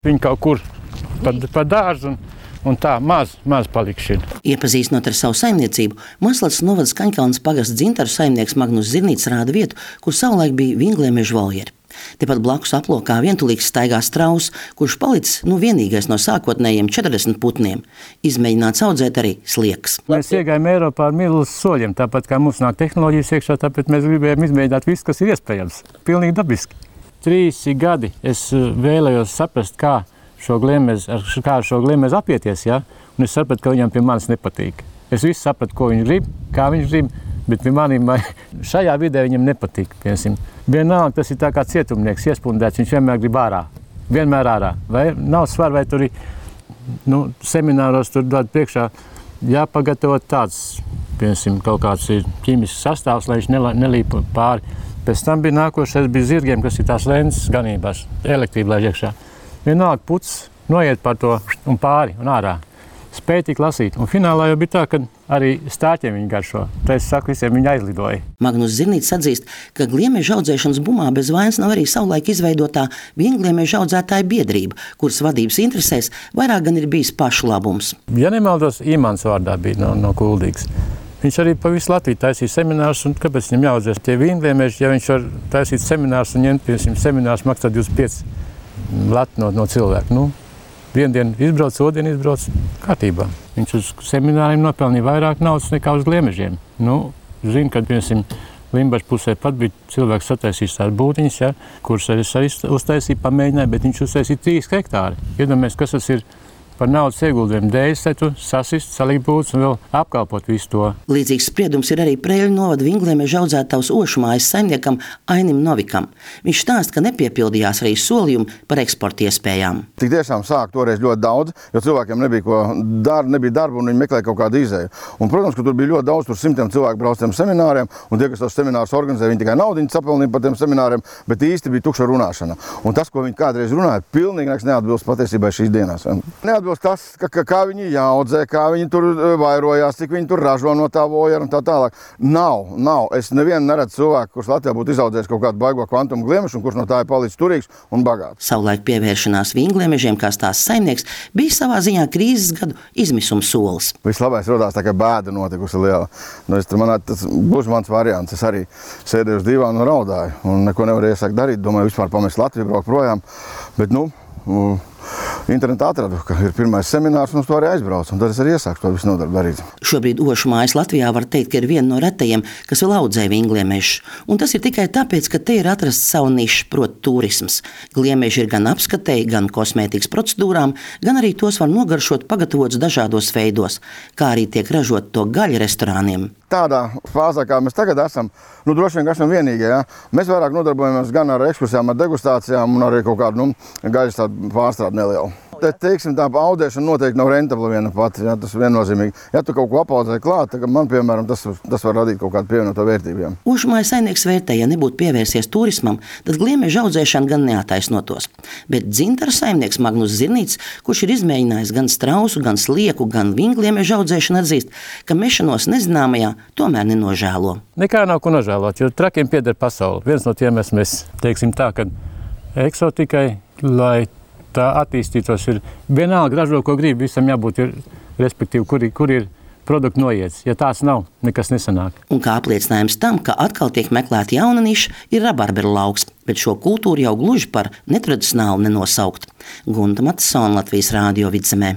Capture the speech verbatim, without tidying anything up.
Viņi kaut kur pa, pa dārzu un, un tā maz, maz palikšana. Iepazīstinot ar savu saimniecību, Maslacas novada Skaņkalnes pagasta Dzintaru saimnieks Magnus Zirnīts rāda vietu, kur savulaik bija vingliemežu voljeri. Tepat blakus aplokā vientulīgs staigā strauss, kurš palicis nu vienīgais no sākotnējiem četrdesmit putniem. Izmēģināts audzēt arī slieks. Mēs iegājām Eiropā ar milzus soļiem, tāpat kā mums nāk tehnoloģijas iekšā, tāpēc mēs gribējām izmēģināt visu, kas ir iespējams. Pilnīgi dabiski. Trīs gadi es vēlējos saprast, kā šo gliemežu, kā ar šo gliemežu apieties, ja? Un es sapratu, ka viņam pie manis nepatīk. Es visu sapratu, ko viņš grib, kā viņš grib, bet pie maniem šajā vidē viņam nepatīk. Piemēram. Vienalga, tas ir tā kā cietumnieks, iespundēts, viņš vienmēr grib ārā. Vienmēr ārā. Vai nav svar, vai tur ir, nu, semināros tur dod priekšā jāpagatavot tāds, piemēram, kaut kāds ir ķīmisks sastāvs, lai viņš nelīp pāri. Pēc tam bija nākošais bija zirgiem, kas ir tās lences ganībās, elektrība laiž iekšā. Vienalga puts noiet par to un pāri un ārā. Spēja tik lasīt. Un finālā jau bija tā, ka arī stāķiem viņi garšo. Tā es saku, visiem viņi aizlidoja. Magnus Zirnīts atzīst, ka gliemeža audzēšanas bumā bez vainas nav arī savulaik izveidotā viengliemeža audzētāja biedrība, kuras vadības interesēs vairāk gan ir bijis pašu labums. Ja nemaldos, Imants vārdā bija no, no Kuldīgas. Viņš arī pa visu Latviju taisīja seminārus, un kāpēc viņam jāaudzēs tie viengliemeži, ja viņš var taisīt seminārus un ņemt, piemēram, seminārus maksā divdesmit pieci lati no, no cilvēku. Nu, vienu dienu izbrauc, otru dienu izbrauc kārtībā. Viņš uz semināriem nopelnīja vairāk naudas nekā uz gliemežiem. Nu, zinu, kad, piemēram, Limbažu pusē pat bija cilvēks sataisījis tās būtiņas, ja, kuras arī uztaisīja, pamēģināja, bet viņš uztaisīja trīs hektāri. Iedomājies, kas tas ir par naudas ieguldījumu dēļ, tu sasist, salikt būtus un vēl apkalpot visu to. Līdzīgs spriedums ir arī Preļu novada vingliemeža audzētavas Ošumājas saimniekam Ainim Novikam. Viņš stāsta, ka nepiepildījās arī solījumi par eksporta iespējām. Tik tiešām sāk toreiz ļoti daudz, jo cilvēkiem nebija ko dar, nebija darba un viņi meklēja kaut kādu izēju. Un, protams, ka tur bija ļoti daudz, tur simtiem cilvēku brauc tiem semināriem, un tie, kas tos seminārus organizē, viņi tikai naudiņu sapelnīja par tiem semināriem, bet īsti bija tukša runāšana. Un tas, ko viņi kādreiz runāja, pilnīgi neatbilst patiesībai šīs dienās. Tas, ka, ka, kā viņi jāaudzē, kā viņi tur vairojās, cik viņi tur ražo no tā vojera un tā tālāk. Nav, nav. Es nevienu neredzu cilvēku, kurš Latvijā būtu izaudzējis kaut kādu baigo kvantumu gliemežu un kurš no tā ir palicis turīgs un bagāts. Savulaik pievēršanās vingliemežiem kā tās saimnieks bija savā ziņā krīzes gadu izmisuma solis. Vislabais rodās tā, ka bēda notikusi liela. Nu, es, manā, tas būs mans variants. Es arī sēdēju uz divānu un raudāju un neko nevarēju iesākt darīt. Domāju, vispār pamest Latviju, braukt projām. Bet, nu, internetā atradu, ka ir pirmais seminārs un uz to arī aizbraucu, un tad es arī iesāku to visu nodarbu darīt. Šobrīd Ošumājas Latvijā var teikt, ka ir viena no retajiem, kas vēl audzē vingliemežus. Un tas ir tikai tāpēc, ka te ir atrasts savu nišu, proti turisms. Gliemeži ir gan apskatei, gan kosmētikas procedūrām, gan arī tos var nogaršot pagatavots dažādos veidos, kā arī tiek ražot to gaļu restorāniem. Tādā fāzē, kā mēs tagad esam, nu droši vien esam vienīgie. Ja? Mēs vairāk nodarbojamies gan ar ekskursijām, ar degustācijām un arī kaut kādu nu, gaļas tādu pārstrādi nelielu. Te, teiksim, tā audzēšana noteikti nav rentabla viena pati, ja, tas ir viennozīmīgi. Ja tu kaut ko apaudzē klāt, tad man, piemēram, tas, tas var radīt kaut kādu pievienoto vērtību. Ja. Ošumājas saimnieks vērtē, ja nebūtu pievērsies turismam, tad gliemeža audzēšana gan neataisnotos. Bet Dzintaru saimnieks Magnus Zirnīts, kurš ir izmēģinājis gan strausu, gan slieku, gan vingliemeža audzēšanu, atzīst, ka mešanos nezināmajā tomēr nenožēlo. Nekā nav ko nožēlot, jo trakiem pieder pasauli. Viens no tiem esmu es, teiksim tā, ka eksotikai, lai tā attīstītos, ir vienalga ražo, ko grib, visam jābūt, ir, respektīvi, kur, kur ir produkti noiets. Ja tās nav, nekas nesanāk. Un kā apliecinājums tam, ka atkal tiek meklēta jauna niša, ir rabarberu lauks, bet šo kultūru jau gluži par netradicionālu nenosaukt. Gunta Matisona, Latvijas Rādio Vidzemē.